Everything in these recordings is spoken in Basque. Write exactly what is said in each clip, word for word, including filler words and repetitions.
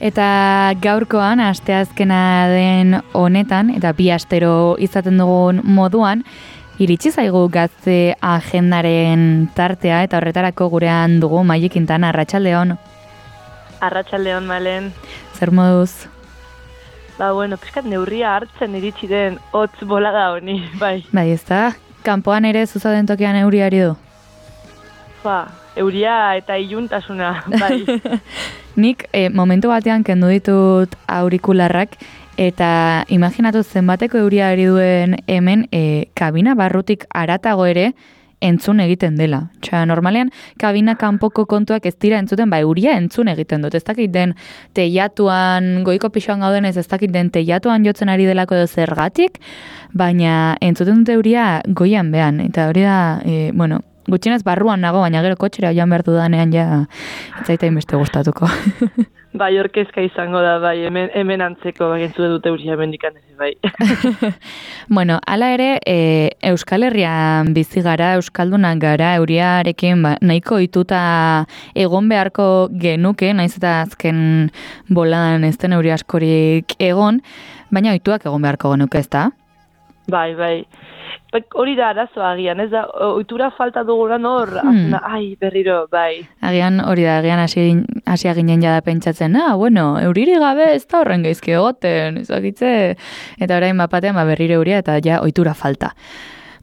Eta gaurkoan, asteazkena den honetan, eta bi astero izaten dugun moduan, iritsi zaigu gazte agendaren tartea, eta horretarako gurean dugu Maili Quintana. Arratsaldeon. Arratsaldeon, Malen. Zer moduz? Ba, bueno, pixkat neurria hartzen iritsi den hotz bolada honi, bai. Bai, ez da? Kanpoan ere zuzaden tokian euriari du? Ba, euria eta iluntasuna, bai. Nik eh, momentu batean kendu ditut aurikularrak eta imaginatu zenbateko euria ari duen hemen eh, kabina barrutik haratago ere entzun egiten dela. Txa, normalean, kabina kanpoko kontuak ez dira entzuten, ba, euria entzun egiten dut. Ez dakit den teiatuan, goiko pixoan gauden ez, ez dakit den teiatuan jotzen ari delako edo zergatik, baina entzuten dut euria goian behan. Eta hori da, e, bueno, gutxienez barruan nago, baina gero kotxera joan behar dudanean ja etzaitain beste gustatuko. Bai, orkezka izango da, bai, hemen, hemen antzeko, bai, entzute dute euria mendikan ez, bai. Bueno, hala ere, e, Euskal Herrian bizi gara, Euskaldunak gara, euriarekin ba, nahiko ohituta egon beharko genuke, naiz eta azken boladan ez den euri askorik egon, baina ohituak egon beharko genuke, ez da? Bai, bai. Hori da arazoa agian, ez da, ohitura falta duguran hor, hmm. ai, berriro, bai. Agian hori da, agian hasia ginen jada pentsatzen, ah, bueno, euriri gabe ez da horren gaizki egoten, ezakitze, eta orain bapatean ba, berriro euria eta ja ohitura falta.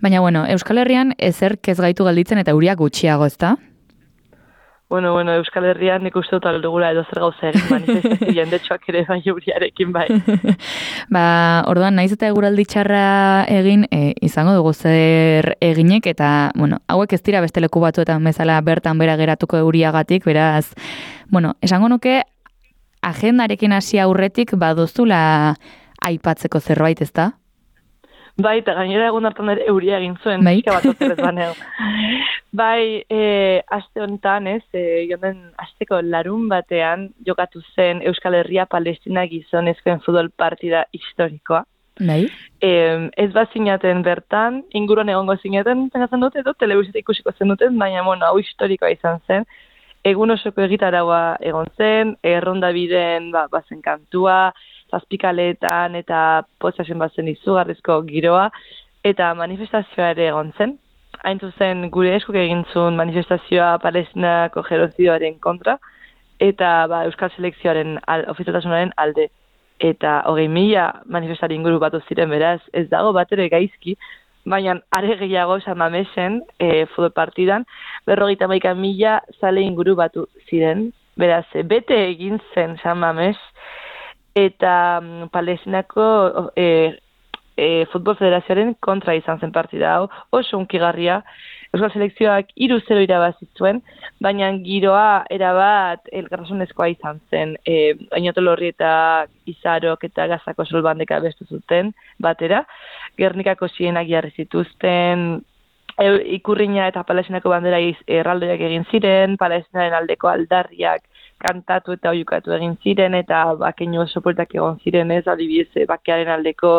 Baina, bueno, Euskal Herrian ezerk ez gaitu galditzen eta euria gutxiago, ez da? Bueno, bueno, Euskal Herrian nik uste dut aldugula edo zer gauza egin manifestazio jendetxoak ere bai euriarekin bai. Ba, orduan, naiz eta eguraldi txarra egin, e, izango dugu zer eginek, eta, bueno, hauek ez dira beste leku batuetan bezala bertan bera geratuko euriagatik, beraz, bueno, esango nuke, agendarekin hasi aurretik baduzula aipatzeko zerbait, ez da? Bai, eta gainera egun hartan ere euria egin zuen, bai. Pixka bat otzerrez baneo. Bai, e, aste honetan, ez, e, jonden asteko larun batean jokatu zen Euskal Herria Palestina gizonezkoen futbol partida historikoa. Bai. E, ez bat zinaten bertan, inguruan egongo zinaten, pengatzen dute, edo telebizita ikusiko zen duten, baina, bueno, hau historikoa izan zen. Egun osoko egitaraua egon zen, erronda biden, ba, bazen kantua, zazpikaletan eta potxasen bazen izugarrizko giroa, eta manifestazioa ere egon zen. Hain zuzen gure eskuk egin zuen manifestazioa Palestinako genozidioaren kontra, eta ba, Euskal Selekzioaren al, ofizialtasunaren alde. Eta hogei mila manifestari inguru batu ziren beraz, ez dago bat ere gaizki, baina are gehiago San Mamesen e, futbol partidan, berrogeita hamaika mila zale inguru batu ziren. Beraz, bete egin zen San Mames, eta um, Palestinako e, e, Futbol Federazioaren kontra izan zen partida hau, oso unkigarria. Euskal Selekzioak hiru zero irabazi zuen, baina giroa erabat elkartasunezkoa izan zen. E, Oinatolorri eta Izarok eta Gazako solbandeka bestu zuten batera. Gernikako zienak jarri zituzten, e, ikurriña eta Palestinako bandera erraldoiak egin ziren, Palestinaren aldeko aldarriak kantatu eta oiukatu egin ziren, eta bakeinu oso poltak egon ziren ez, adibidez, bakearen aldeko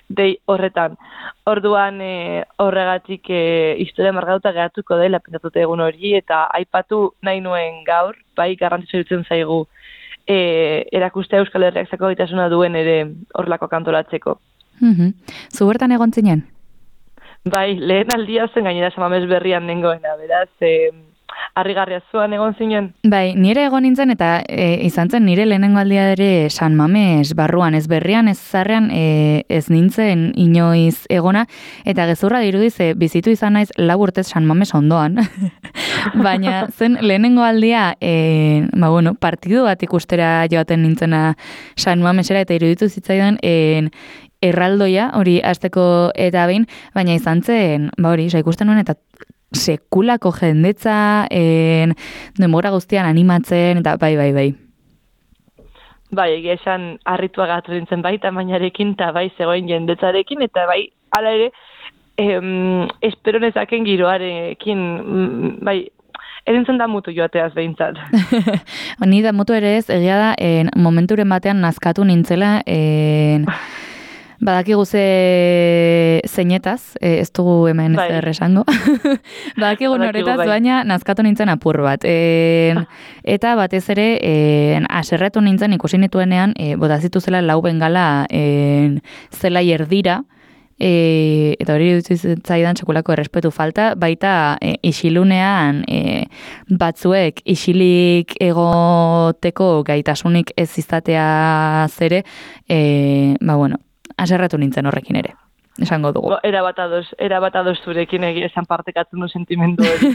dei horretan. Orduan e, horregatik e, historia margatuta geratuko dela pentsatute egun hori, eta aipatu nahi nuen gaur, bai garrantzitsu iruditzen zaigu e, erakustea Euskal Herriak zako gaitasuna duen ere horrelako kantolatzeko. Mm-hmm. Zu bertan egon zinen? Bai, lehen aldia zen gainera San Mames berrian nengoena, beraz, e, harrigarria zuan egon zinen? Bai, nire egon nintzen eta e, izan zen nire lehenengo aldia ere San Mames barruan, ez berrian, ez zarrean, e, ez nintzen inoiz egona, eta gezurra dirudiz e, bizitu izan naiz lau urtez San Mames ondoan. Baina zen lehenengo aldia, e, ba bueno, partidu bat ikustera joaten nintzena San Mamesera, eta iruditu zitzaidan e, erraldoia, hori hasteko eta behin, baina izan zen, ba hori, ikusten nuen, eta sekulako jendetza, en, denbora guztian animatzen, eta bai, bai, bai. Bai, egia esan harritua gatu nintzen bai, tamainarekin, eta bai, zegoen jendetzarekin, eta bai, ala ere, em, espero nezaken giroarekin, bai, erintzen da mutu joateaz behintzat. Ni da mutu ere ez, egia da, en, momenturen batean nazkatu nintzela, en, Badakigu ze zeinetaz, e, ez dugu hemen bai. zer esango. Badakigu noretaz, bai. Baina nazkatu nintzen apur bat. E, eta batez ere, e, aserretu nintzen ikusi nituenean, e, botazitu zela lau bengala e, zelai erdira, E, eta hori zaidan sekulako errespetu falta, baita e, isilunean e, batzuek isilik egoteko gaitasunik ez izatea zere, e, ba bueno, aserratu nintzen horrekin ere, esango dugu. Bo, era bat ados, era bat ados zurekin egia esan partekatzen du sentimendu hori.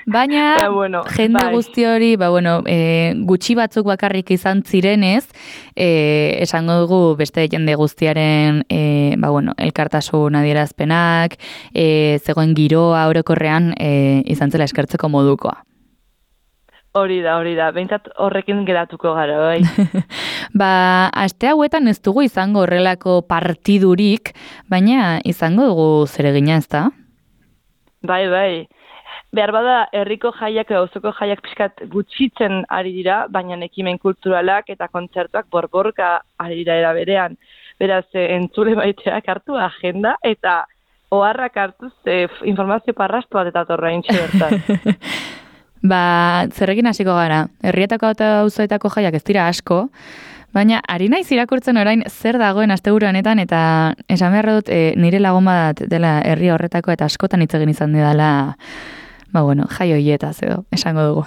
Baina, Eta, bueno, jende bai. guzti hori, ba, bueno, e, gutxi batzuk bakarrik izan zirenez, e, esango dugu beste jende guztiaren e, ba, bueno, elkartasun adierazpenak, e, zegoen giroa orokorrean e, izan zela eskertzeko modukoa. Hori da, hori da. Behintzat horrekin geratuko gara, bai. Ba, aste hauetan ez dugu izango horrelako partidurik, baina izango dugu zeregina, ez da? Bai, bai. Behar bada, herriko jaiak edo auzoko jaiak pixkat gutxitzen ari dira, baina ekimen kulturalak eta kontzertuak borborka ari dira era berean. Beraz, entzule baiteak hartu agenda eta oharrak hartuz e, informazio parrastu bat eta torra intxe bertan. Ba, zerrekin hasiko gara. Herrietako eta auzoetako jaiak ez dira asko, baina ari naiz irakurtzen orain zer dagoen asteburu honetan eta esan behar dut e, nire lagun bat dela herri horretako eta askotan hitz egin izan dela, ba bueno, jai hoietaz edo, esango dugu.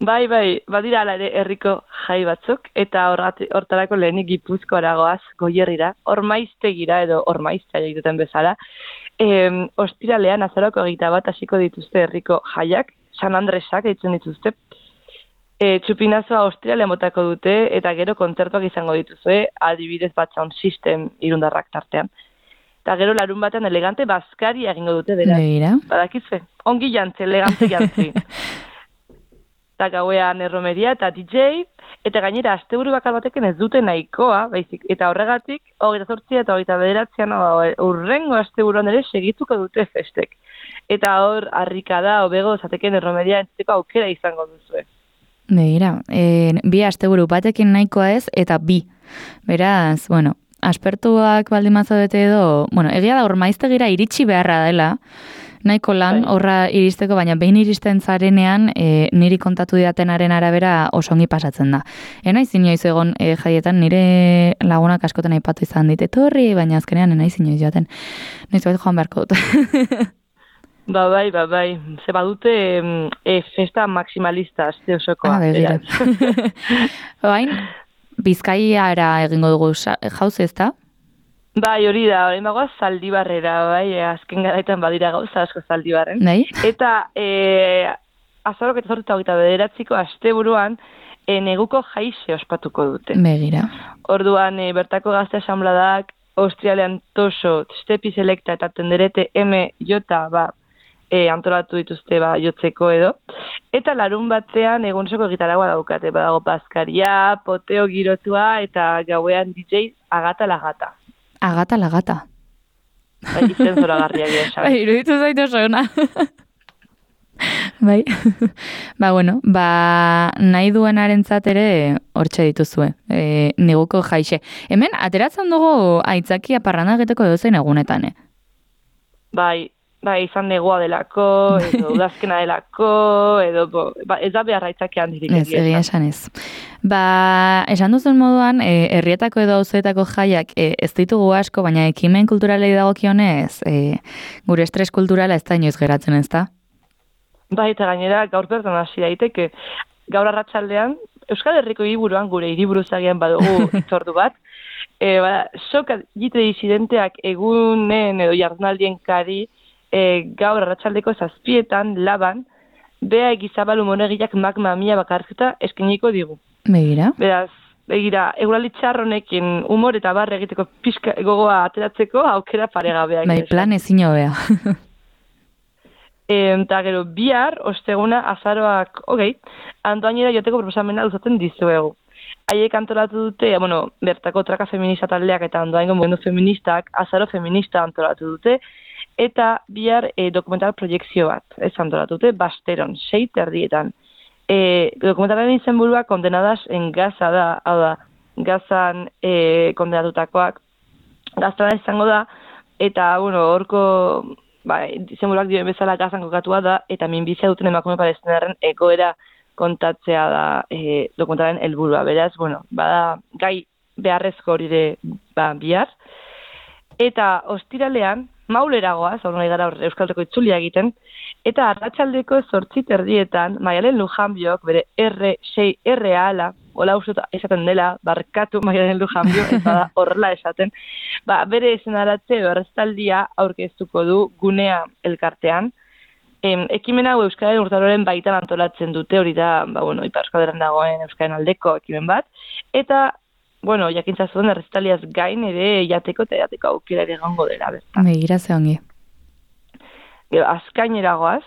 Bai, bai, badira ala ere herriko jai batzuk eta hortarako lehenik Gipuzkoara goaz Goierrira, Ormaiztegira edo Ormaiztea egiten bezala. E, ostiralean azaroko egita bat hasiko dituzte herriko jaiak, San Andresak ditzen dituzte. E, txupinazoa ostiralean botako dute eta gero kontzertuak izango dituzue, adibidez bat sound system irundarrak tartean. Eta gero larun batean elegante bazkari egingo dute beraz. Begira. Badakitze, ongi jantzi, elegante jantzi. Eta gauean erromeria eta D J, eta gainera asteburu bakar batekin ez dute nahikoa, baizik, eta horregatik, hogeita zortzia eta hogeita bederatzean, urrengo asteburuan ere segituko dute festek. Eta hor, harrikada, hobego, zateken erromeria entzuteko aukera izango duzue. Begira, e, bi asteburu batekin nahikoa ez, eta bi. Beraz, bueno, aspertuak baldin mazadete edo, bueno, egia da Ormaiztegira iritsi beharra dela, nahiko lan horra iristeko, baina behin iristen zarenean e, niri kontatu didatenaren arabera oso ongi pasatzen da. Enaiz inoiz egon e, jaietan nire lagunak askotan aipatu izan dit, etorri, baina azkenean enaiz inoiz joaten. Noiz bat joan beharko dut. Ba bai, ba bai. Ze badute e, festa maximalista azte osokoa. Ah, begira. Bain, Bizkaiara egingo dugu jauze ez da? Bai, hori da, hori magoaz Zaldibarrera, bai, azken garaitan badira gauza asko Zaldibarren. Bai? Eta e, azarok eta zortu eta bederatziko asteburuan e, neguko jaixe ospatuko dute. Begira. Orduan, e, bertako gazte asanbladak, Austrialean Toso, Stepi Selecta eta Tenderete M Jota, ba, e, antolatu dituzte ba, jotzeko edo. Eta larun batean egunsoko gitaragua daukate, badago bazkaria, poteo girotua eta gauean D J agata lagata. Agata lagata. Bai, izen zoragarriak esan. Bai, iruditu zaitu oso ona. Bai. Ba, bueno, ba, nahi duenarentzat ere hortxe dituzue. E, neguko jaixe. Hemen, ateratzen dugu aitzakia parranda egiteko edozein egunetan, eh? Bai, bai, izan negua delako, edo udazkena delako, edo, bo, ba, ez da beharra aitzakia handirik. Ez, egia esan ez. Ba, esan duzen moduan, e, herrietako edo auzoetako jaiak e, ez ditugu asko, baina ekimen kulturalei dagokionez, e, gure estres kulturala ez da inoiz geratzen, ez da? Bai, eta gainera gaur bertan hasi daiteke. Gaur arratsaldean Euskal Herriko hiriburuan gure hiriburuzagian badugu itzordu bat. E, ba, soka jite disidenteak egunen edo jardunaldien kari e, gaur arratsaldeko zazpietan laban bea egizabalu monegiak magma mia bakarketa eskeniko digu. Begira. Beraz, begira, eguraldi txarronekin humor eta barre egiteko pixka gogoa ateratzeko aukera paregabeak. Bai, plan ezin hobea. Eta gero, bihar, osteguna, azaroak, hogei, Antoainera joteko proposamena luzatzen dizuegu. Haiek antolatu dute, bueno, bertako traka feminista taldeak eta Andoaingo mugimendu feministak, azaro feminista antolatu dute, eta bihar e, dokumental proiekzio bat, ez antolatu dute, Basteron, sei terdietan. E, dokumentalaren izenburua kondenadas en Gaza da, hau da, Gazan e, kondenatutakoak, gaztelana izango da, eta, bueno, horko, ba, izenburuak dioen bezala gazan kokatua da, eta minbizia duten emakume palestinarren egoera kontatzea da e, dokumentaren helburua. Beraz, bueno, bada gai beharrezko hori ere ba, bihar. Eta ostiralean, mauleragoaz, hor nahi gara Euskalteko itzulia egiten, eta arratsaldeko zortzi terdietan, Maialen Lujanbiok, bere R sei R ala, hola uste esaten dela, barkatu Maialen Lujanbio, eta da horrela esaten, ba, bere esenaratze berrestaldia aurkeztuko du gunea elkartean. Em, ekimen hau Euskararen urtaroren baitan antolatzen dute, hori da, ba, bueno, Ipar Euskal dagoen Euskararen aldeko ekimen bat, eta bueno, jakintza zuen erreztaliaz gain ere jateko eta jateko aukera ere egongo dela bertan. Begira ze ongi. Gero, azkaineragoaz,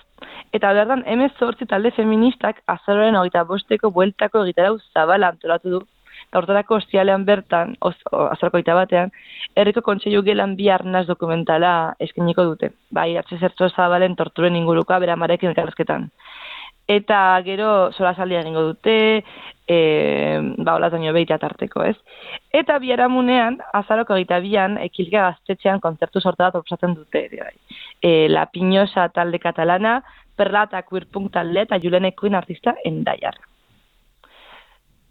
eta berdan hemezortzi talde feministak azaroaren hogeita bosteko bueltako egitarau zabala antolatu du. Eta hortarako ostialean bertan, azaroko hogeita batean, herriko kontseilu gelan bi arnaz dokumentala eskeniko dute. Bai, atxe zertzo zabalen torturen inguruka bera marekin elkarrezketan. Eta gero solasaldia egingo dute, e, ba, olataino behitea tarteko, ez? Eta biharamunean, azaroko egita bian, ekilka gaztetxean kontzertu sorta bat proposatzen dute. E, La Piñosa talde katalana, Perla eta Queerpunk talde eta Julen Ekuin artista Endaiar.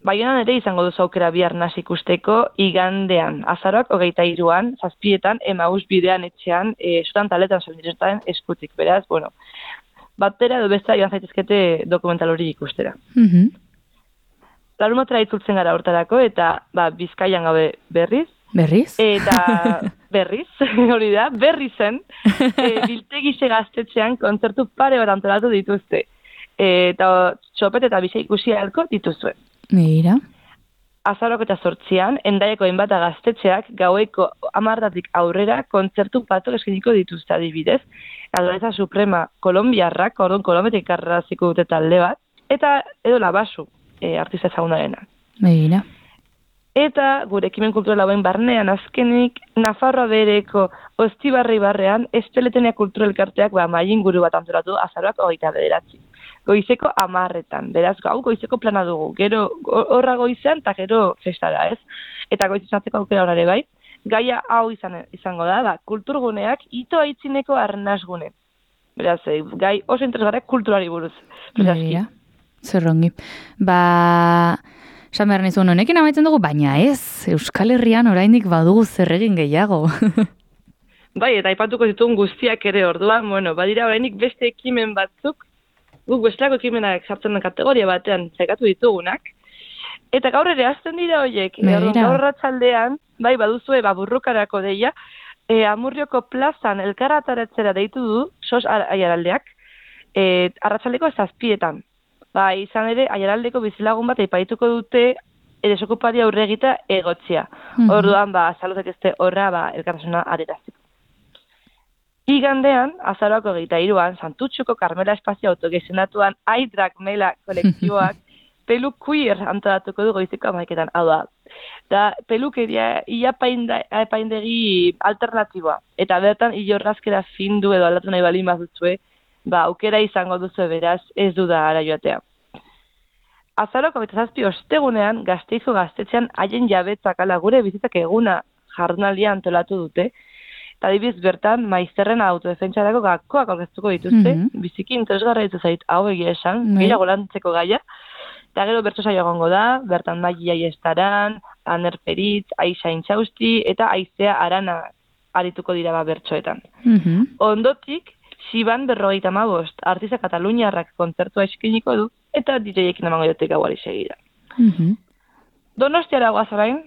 Baionan ere izango duzu aukera bihar naz ikusteko igandean, azaroak hogeita hiruan, zazpietan, Emaus bidean etxean, e, zutan taletan solidaritaren eskutik, beraz, bueno, batera edo besta joan zaitezkete dokumental hori ikustera. Mhm. Larumatra itzultzen gara hortarako, eta ba, Bizkaian gabe berriz. Berriz? Eta berriz, hori da, berri zen, e, biltegixe gaztetxean kontzertu pare bat antolatu dituzte. E, eta txopet eta bisa ikusi ahalko dituzue. Mira. Azarok eta zortzian, Endaiako enbata gaztetxeak gaueko amartatik aurrera kontzertu patok eskeniko dituzte adibidez. Aldoreza Suprema Kolombiarrak, orduan Kolombiatik karraziko dute talde bat, eta edo Labasu, e, artista ezagunarena. Begira. Eta gure ekimen kultural hauen barnean azkenik, Nafarroa bereko Ostibarri barrean, Esteletenia Kulturelkarteak ba, mailinguru bat antolatu azaroak hogeita bederatzi. Goizeko amarretan, beraz gau goizeko plana dugu, gero horra goizean eta gero festara, ez? Eta goizezatzeko aukera horare bai, gaia hau izan, izango da, da, kulturguneak ito aitzineko arnazgune. Beraz, gai oso interesgarrak kulturari buruz. Begira, zerrongi. Ba, esan behar nizun honekin amaitzen dugu, baina ez, Euskal Herrian oraindik badugu zer egin gehiago. Bai, eta aipatuko ditugun guztiak ere orduan, bueno, badira orainik beste ekimen batzuk, guk bestelako ekimenak sartzen den kategoria batean zaikatu ditugunak. Eta gaur ere azten dira horiek, gaur ratzaldean, bai, baduzue, baburrukarako deia, e, Amurrioko plazan elkarrataratzera deitu du, sos aiaraldeak, e, arratsaldeko zazpietan. Ba, izan ere, aiaraldeko bizilagun bat eipaituko dute, edesokupari aurre egita egotzia. Mm-hmm. Orduan, ba, salutek ezte horra, ba, elkartasuna areraziko. Igandean, azaroako egeita iruan, Santutxuko Karmela Espazio autogezionatuan Aidrak Mela kolektiboak pelu queer antolatuko du goizeko amaiketan. Hau da, da pelukeria iapaindegi alternatiboa. Eta bertan, ilorrazkera findu edo aldatu nahi balin bazutue, ba, aukera izango duzu beraz, ez du da ara joatea. Azaroko eta zazpi ostegunean, Gazteizo gaztetxean haien jabetzak ala gure bizitzak eguna jardunaldia antolatu dute, eta dibiz bertan, maizterren autodefentsarako gakoak aurkeztuko dituzte, mm-hmm. biziki interesgarra ditu zait hau egia esan, mm-hmm. gira golantzeko gaia, eta gero bertso saio egongo da, bertan Magia Iestaran, Aner Peritz, Aixa Intxausti, eta Aizea Arana arituko dira ba bertsoetan. Mm-hmm. Ondotik, Siban berrogeita hamabost, artista kataluniarrak kontzertua eskiniko du, eta D J-ekin emango diote gauari segida. Mm-hmm. Donostiara guazarain,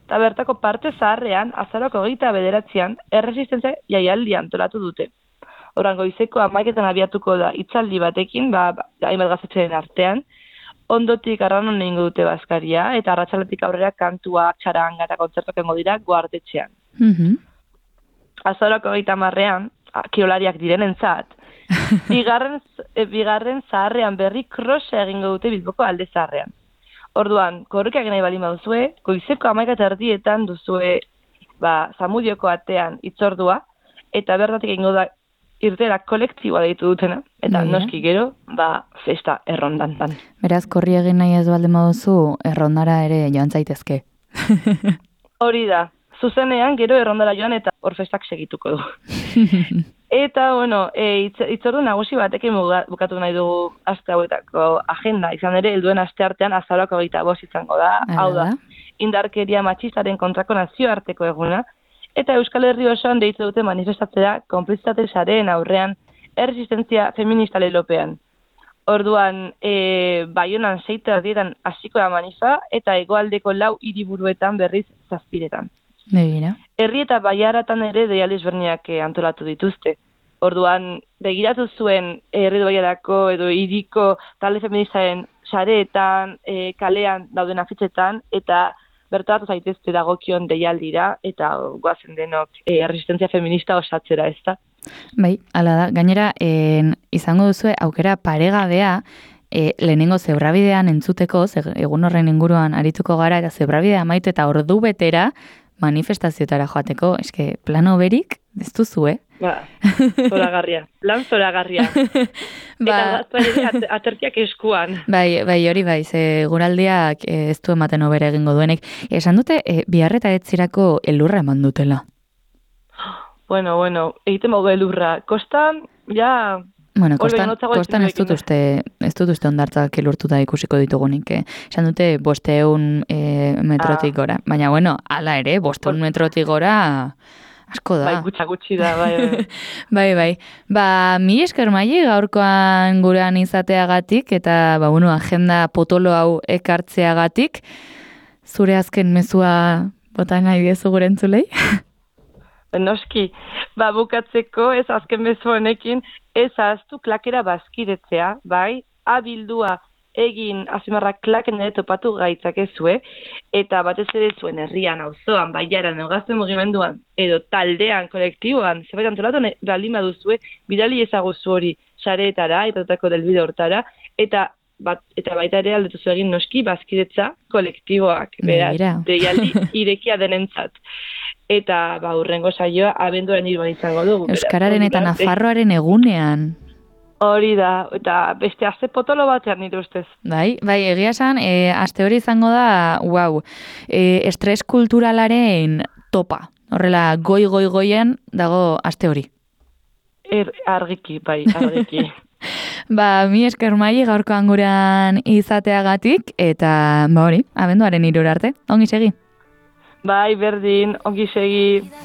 eta bertako parte zaharrean, azaroko hogeita bederatzean, erresistentzia jaialdi antolatu dute. Horan goizeko amaiketan abiatuko da hitzaldi batekin, ba, hainbat gaztetxeen artean, ondotik arranon egingo dute bazkaria, eta arratsaletik aurrera kantua, txaranga eta kontzertuak egingo dira guardetxean. Mm-hmm. Azaroko hogeita hamarrean, kiolariak direnentzat, bigarren, e, bigarren zaharrean berri krosa egingo dute Bilboko alde zaharrean. Orduan, korrikak nahi balin baduzue, goizeko hamaika erdietan duzue ba, Zamudioko atean itzordua, eta bertatik egingo da irtera kolektiboa deitu dutena, eta Baina. noski gero, ba, festa errondantan. Beraz, korri egin nahi ez baldin baduzu, errondara ere joan zaitezke. Hori da, zuzenean gero errondara joan eta hor festak segituko du. Eta, bueno, e, itzordu nagusi batekin bukatu nahi dugu aste hauetako agenda. Izan ere, helduen aste artean azaroko hogeita bost izango da. Hala Hau da, da. indarkeria matxistaren kontrako nazioarteko eguna. Eta Euskal Herri osoan deitu dute manifestatzea konplizitate sareen aurrean erresistentzia feminista lelopean. Orduan, e, Baionan seita erdietan hasiko da manifa eta hegoaldeko lau hiriburuetan berriz zazpiretan. Begira. Herri eta baiaratan ere deialdi ezberdinak eh, antolatu dituzte. Orduan, begiratu zuen herri baiarako edo hiriko talde feministaren sareetan, e, kalean dauden afitxetan, eta bertatu zaitezte dagokion deialdira, eta goazen denok e, resistentzia feminista osatzera, ez da? Bai, hala da. Gainera, en, izango duzue aukera paregabea, e, lehenengo zebrabidean entzuteko, ze, egun horren inguruan arituko gara, eta zebrabidea amaitu eta ordu betera manifestazioetara joateko, eske plano berik, ez duzu, eh? Ba, zoragarria. Lan zoragarria. Ba, eta aterkiak eskuan. Bai, bai, hori bai, ze guraldiak eh, ez du ematen hobera egingo duenek. Esan dute, e, biharreta etzirako elurra eman dutela. Bueno, bueno, egiten bau elurra. Kostan, ja... Bueno, Olbe, kostan, notzago kostan ez etxekoekin dut uste, ez dut uste ondartzak elurtuta ikusiko ditugunik. Eh? Esan dute bosteun e, metrotik Ah. gora. Baina, bueno, ala ere, bosteun Bos- metrotik gora asko da. Bai, gutxa gutxi da, bai. bai. Bai, bai. Ba, mi esker Maili gaurkoan gurean izateagatik eta ba, bueno, agenda potolo hau ekartzeagatik. Zure azken mezua bota nahi diezu gure entzulei? Noski, ba, bukatzeko ez azken bezu honekin, ez ahaztu klakera bazkidetzea, bai, abildua egin azimarrak klaken ere topatu gaitzakezue, eta batez ere zuen herrian, auzoan, baiaran, neugazten mugimenduan, edo taldean, kolektiboan, zerbait antolatu baldin baduzue, bidali ezaguzu hori sareetara, ipatutako delbide hortara, eta bat, eta baita ere aldetuzu egin noski bazkidetza kolektiboak, beraz, Begira. deialdi irekia denentzat. Eta ba, urrengo saioa abenduaren hiruan izango dugu. beraz, Euskararen eta hori da, Nafarroaren egunean. Hori da, eta beste aste potolo batean nire ustez. Bai, bai, egia esan, e, aste hori izango da, wow, e, estres kulturalaren topa. Horrela, goi-goi-goien dago aste hori. Er, argiki, bai, argiki. Ba, mi esker Maili gaurkoan gurean izateagatik, eta ba hori, abenduaren hirura arte. Ongi segi. Bai, berdin, ongi segi.